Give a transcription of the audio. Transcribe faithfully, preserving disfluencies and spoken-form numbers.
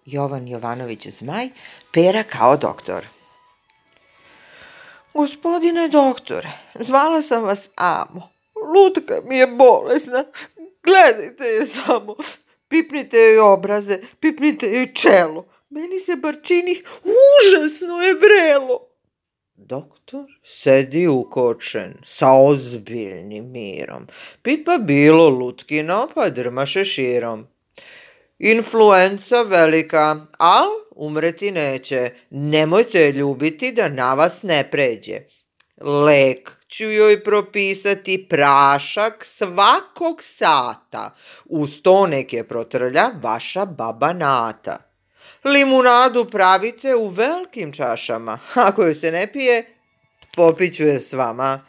Jovan Jovanović Zmaj, Pera kao doktor. Gospodine doktore, zvala sam vas Amo. Lutka mi je bolesna. Gledajte je samo. Pipnite joj obraze, pipnite joj čelo. Meni se bar čini užasno je vrelo. Doktor sedi ukočen, sa ozbiljnim mirom. Pipa bilo Lutkino, pa drma šeširom. Influenca velika, al umreti neće. Nemojte je ljubiti da na vas ne pređe. Lek ću joj propisati prašak svakog sata. Uz to nek je protrlja vaša baba Nata. Limunadu pravite u velikim čašama. Ako joj se ne pije, popiću je s vama.